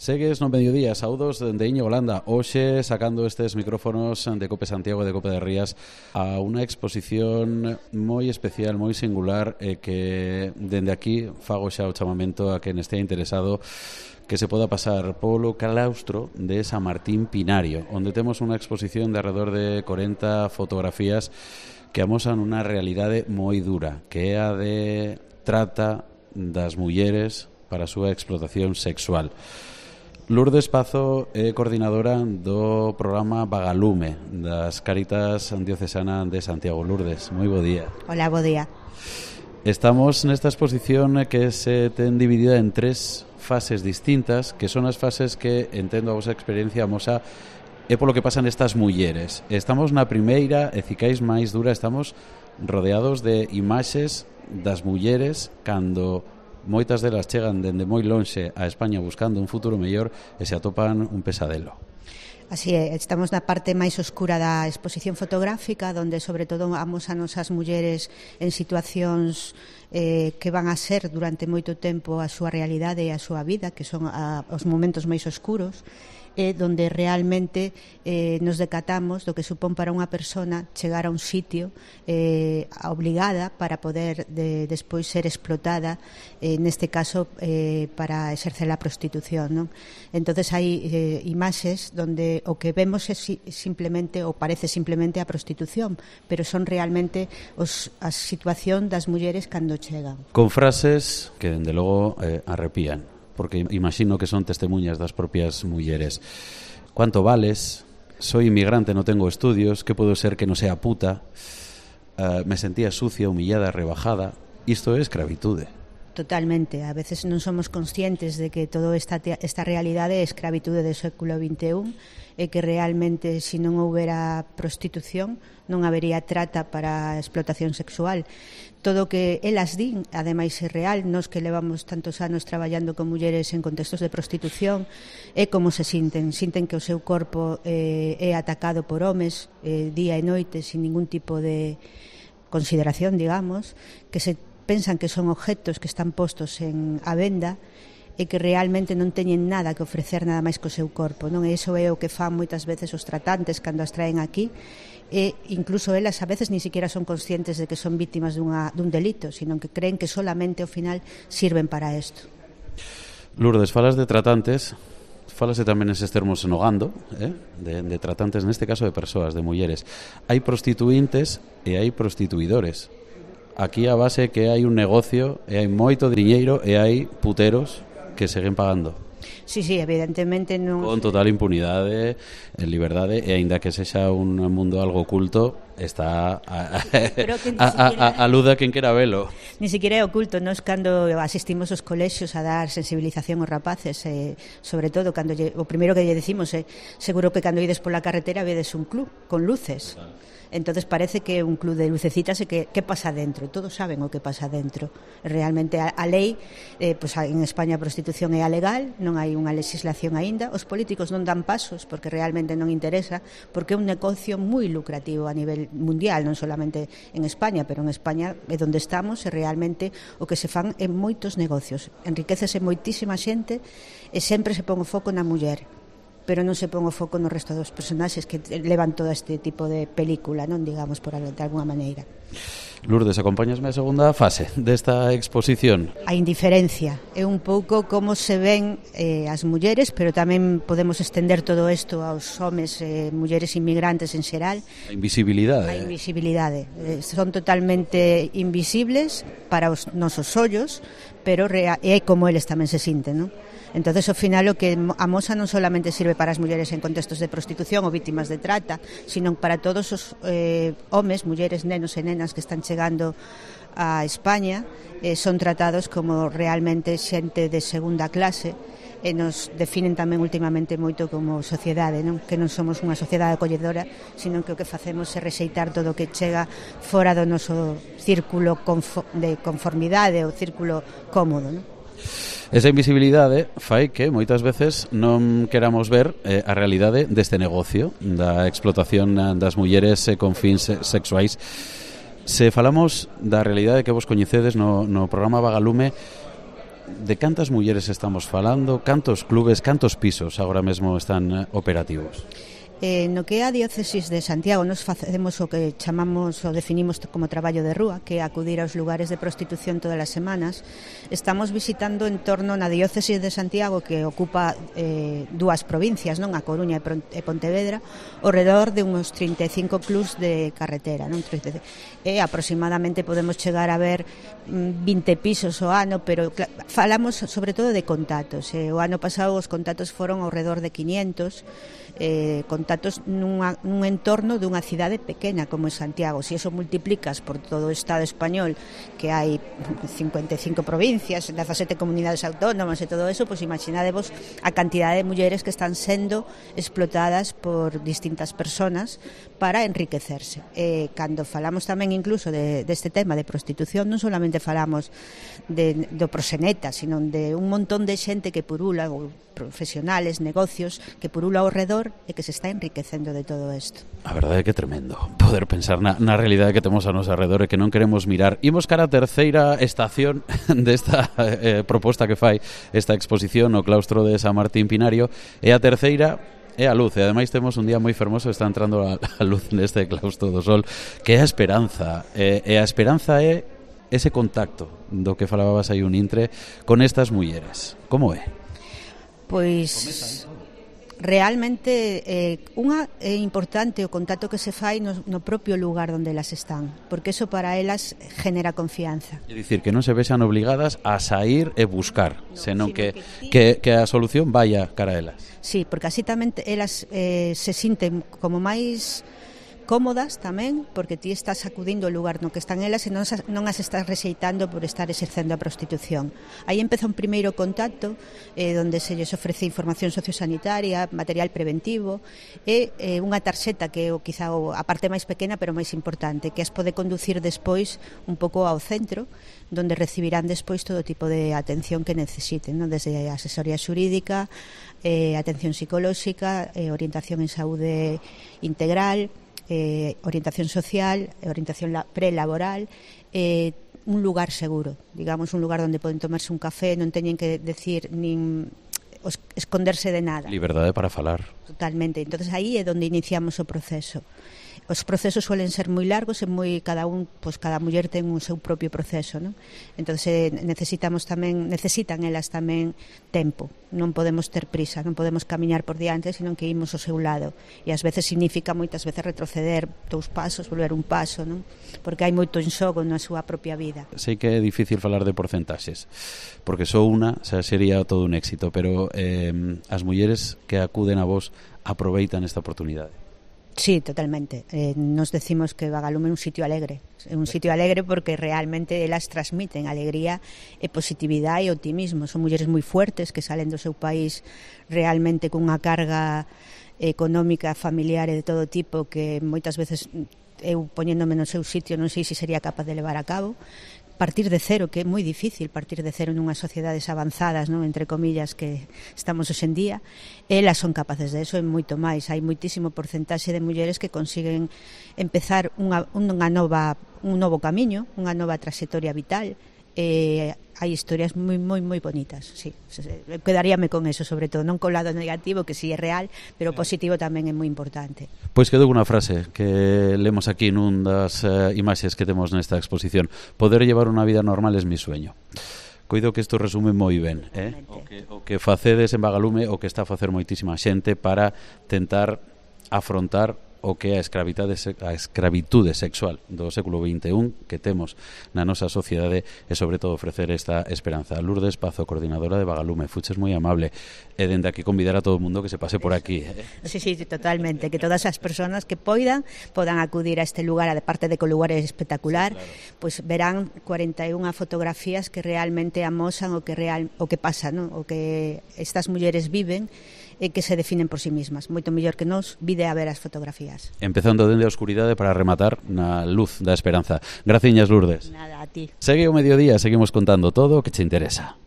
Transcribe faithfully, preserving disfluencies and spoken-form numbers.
Segues no mediodía, saudos de Íñigo Landa. Hoxe sacando estes micrófonos de Cope Santiago e de Cope de Rías a unha exposición moi especial, moi singular, e que dende aquí fago xa o chamamento a quen estea interesado que se poda pasar polo claustro de San Martín Pinario, onde temos unha exposición de alrededor de corenta fotografías que amosan unha realidade moi dura, que é a de trata das mulleres para a súa explotación sexual. Lourdes Pazo é coordinadora do programa Vagalume das Cáritas Diocesana de Santiago. Lourdes, moi bo día. Hola, bo día. Estamos nesta exposición que se ten dividida en tres fases distintas, que son as fases que, entendo a vosa experiencia, amosa é polo que pasan estas mulleres. Estamos na primeira, e cicais máis dura, estamos rodeados de imaxes das mulleres cando moitas delas chegan dende moi lonxe a España buscando un futuro mellor e se atopan un pesadelo. Así é, estamos na parte máis oscura da exposición fotográfica, onde sobre todo amosanos as mulleres en situacións eh, que van a ser durante moito tempo a súa realidade e a súa vida, que son a, os momentos máis oscuros, e donde realmente eh, nos decatamos do que supón para unha persona chegar a un sitio eh, obligada para poder de, despois ser explotada, eh, neste caso eh, para exercer a prostitución, non? Entonces hai eh, imaxes donde o que vemos é si, simplemente, ou parece simplemente a prostitución, pero son realmente os, a situación das mulleres cando chegan. Con frases que, dende logo, eh, arrepían, porque imagino que son testemunhas das propias mulleres. ¿Cuánto vales? Soy inmigrante, no tengo estudios. ¿Qué puedo ser que no sea puta? Uh, me sentía sucia, humillada, rebajada. Isto é escravitude. Totalmente. A veces non somos conscientes de que toda esta, esta realidade é escravitude do século vinte e un e que realmente, se non houbera prostitución, non habería trata para a explotación sexual. Todo o que elas din, ademais é real, nos que levamos tantos anos traballando con mulleres en contextos de prostitución, é como se sinten. Sinten que o seu corpo eh, é atacado por homes eh, día e noite sin ningún tipo de consideración, digamos, que se pensan que son objetos que están postos en a venda e que realmente non teñen nada que ofrecer nada máis co seu corpo, non? E iso é o que fan moitas veces os tratantes cando as traen aquí, e incluso elas a veces ni siquiera son conscientes de que son vítimas dunha, dun delito, sino que creen que solamente ao final sirven para isto. Lourdes, falas de tratantes, falase tamén eses termos enogando, eh? de, de tratantes, neste caso de persoas, de mulleres. Hai prostituíntes e hai prostituidores. Aquí a base que hai un negocio e hai moito diñeiro e hai puteros que seguen pagando. Sí, sí, evidentemente non... Con total impunidade, en liberdade, e aínda que sexa un mundo algo oculto, está a, a, a, a, a luz de quen quera velo. Ni siquiera é oculto. Nos cando asistimos aos colexios a dar sensibilización aos rapaces, eh, sobre todo cando lle, o primeiro que lle decimos é seguro que cando ides pola carretera vedes un club con luces. Claro. Entonces parece que un club de lucecitas e que, que pasa dentro. Todos saben o que pasa dentro. Realmente a, a lei, eh, pues en España a prostitución é alegal, non hai unha legislación aínda. Os políticos non dan pasos porque realmente non interesa, porque é un negocio moi lucrativo a nivel mundial, non solamente en España, pero en España é onde estamos e realmente o que se fan é moitos negocios. Enriquecese moitísima xente e sempre se pon o foco na muller, pero non se pon o foco no resto dos personaxes que levan todo este tipo de película, non, digamos, por de alguna maneira. Lourdes, acompáñasme a segunda fase desta exposición. A indiferencia é un pouco como se ven eh, as mulleres, pero tamén podemos estender todo isto aos homes e eh, mulleres inmigrantes en xeral. A invisibilidade. A invisibilidade. Eh, son totalmente invisibles para os nosos ollos, pero rea- é como eles tamén se sinten, non? Entonces, ao final, o que amosa non solamente sirve para as mulleres en contextos de prostitución ou vítimas de trata, sino para todos os eh, homes, mulleres, nenos e nenas que están chegando a España, eh, son tratados como realmente xente de segunda clase, e nos definen tamén últimamente moito como sociedade, non? Que non somos unha sociedade acolledora, sino que o que facemos é rexeitar todo o que chega fora do noso círculo de conformidade ou círculo cómodo, non? Esa invisibilidade fai que moitas veces non queramos ver eh, a realidade deste negocio da explotación das mulleres eh, con fins sexuais. Se falamos da realidade que vos coñecedes no, no programa Vagalume, de cantas mulleres estamos falando, cantos clubes, cantos pisos agora mesmo están operativos? Eh, no que é a diócesis de Santiago nos facemos o que chamamos ou definimos como traballo de rúa, que é acudir aos lugares de prostitución todas as semanas. Estamos visitando en torno na diócesis de Santiago, que ocupa eh, dúas provincias, non, a Coruña e Pontevedra, ao redor de uns trinta e cinco clubs de carretera, non? E aproximadamente podemos chegar a ver vinte pisos ao ano, pero falamos sobre todo de contactos. Eh, o ano pasado os contactos foron ao redor de quinientos, eh, contactos nunha, nun entorno dunha cidade pequena como é Santiago. Se eso multiplicas por todo o Estado español, que hai cincuenta e cinco provincias, dezasete comunidades autónomas e todo eso, pois imaginadevos a cantidade de mulleres que están sendo explotadas por distintas personas para enriquecerse. Eh, cando falamos tamén incluso de, deste tema de prostitución, non solamente falamos de, do proxeneta, sino de un montón de xente que purula, ou profesionales, negocios, que purula ao redor e que se está enriquecendo de todo isto. A verdade é que é tremendo poder pensar na, na realidade que temos a noso alrededor e que non queremos mirar. Imos cara a terceira estación desta eh, proposta que fai esta exposición no claustro de San Martín Pinario, e a terceira é a luz, e ademais temos un día moi fermoso, está entrando a, a luz neste claustro do sol, que é a esperanza, e, e a esperanza é ese contacto do que falabas aí un intre con estas mulleres. Como é? Pois realmente eh, unha é importante o contacto que se fai no, no propio lugar onde elas están, porque eso para elas genera confianza. É dicir, que non se vexan obligadas a sair e buscar, no, senón que, que, que a solución vaya cara a elas. Sí, porque así tamén elas eh, se sinten como máis cómodas tamén, porque ti estás acudindo ao lugar no que están elas e non, non as estás rexeitando por estar exercendo a prostitución. Aí empeza un primeiro contacto eh, onde se lles ofrece información sociosanitaria, material preventivo e eh, unha tarxeta que é o, quizá o, a parte máis pequena pero máis importante, que as pode conducir despois un pouco ao centro, donde recibirán despois todo tipo de atención que necesiten, ¿no? Desde a asesoría xurídica, eh, atención psicolóxica, eh, orientación en saúde integral, Eh, orientación social, orientación prelaboral, eh, un lugar seguro, digamos, un lugar onde poden tomarse un café, non teñen que decir nin esconderse de nada. Liberdade para falar. Totalmente. Entonces aí é onde iniciamos o proceso. Os procesos suelen ser moi largos e moi cada un, pois cada muller ten o seu propio proceso, ¿no? Entonces necesitamos tamén, necesitan elas tamén tempo. Non podemos ter prisa, non podemos camiñar por diante, senón que imos ao seu lado. E ás veces significa moitas veces retroceder dous pasos, volver un paso, ¿no? Porque hai moito en xogo na súa propia vida. Sei que é difícil falar de porcentaxes, porque só unha xa sería todo un éxito, pero eh, as mulleres que acuden a vos aproveitan esta oportunidade. Sí, totalmente. Eh, nos decimos que Vagalume é un sitio alegre. É un sitio alegre porque realmente elas transmiten alegría e positividade e optimismo. Son mulleres moi fuertes que salen do seu país realmente cunha carga económica, familiar e de todo tipo que moitas veces eu poñéndome no seu sitio non sei se sería capaz de levar a cabo. Partir de cero, que é moi difícil partir de cero nunhas sociedades avanzadas, non, entre comillas, que estamos hoxe en día. Elas son capaces de eso e moito máis. Hai moitísimo porcentaxe de mulleres que consiguen empezar unha, unha nova, un novo camiño, unha nova trayectoria vital. Eh, hai historias moi, moi, moi bonitas, sí. Quedaríame con eso, sobre todo, non co lado negativo, que si sí é real, pero positivo tamén é moi importante. Pois quedou unha frase que lemos aquí nun das uh, imaxes que temos nesta exposición: poder llevar unha vida normal es mi sueño. Coido que isto resume moi ben, eh? o, que, o que facedes en Vagalume, o que está a facer moitísima xente para tentar afrontar o que é a escravitude, a escravitude sexual do século vinte e un que temos na nosa sociedade e sobre todo ofrecer esta esperanza. Lourdes Pazo, coordinadora de Vagalume, fuches moi amable e dende aquí convidar a todo o mundo que se pase por aquí. Sí, sí, totalmente, que todas as persoas que poidan podan acudir a este lugar, a parte de que o lugar é espectacular, claro. Pois verán cuarenta e unha fotografías que realmente amosan o que real o que pasa, ¿no? O que estas mulleres viven e que se definen por sí mismas. Moito mellor que nos vide a ver as fotografías. Empezando dende a oscuridade para rematar na luz da esperanza. Graciñas, Lourdes. Nada, a ti. Segue o mediodía, seguimos contando todo o que che interesa.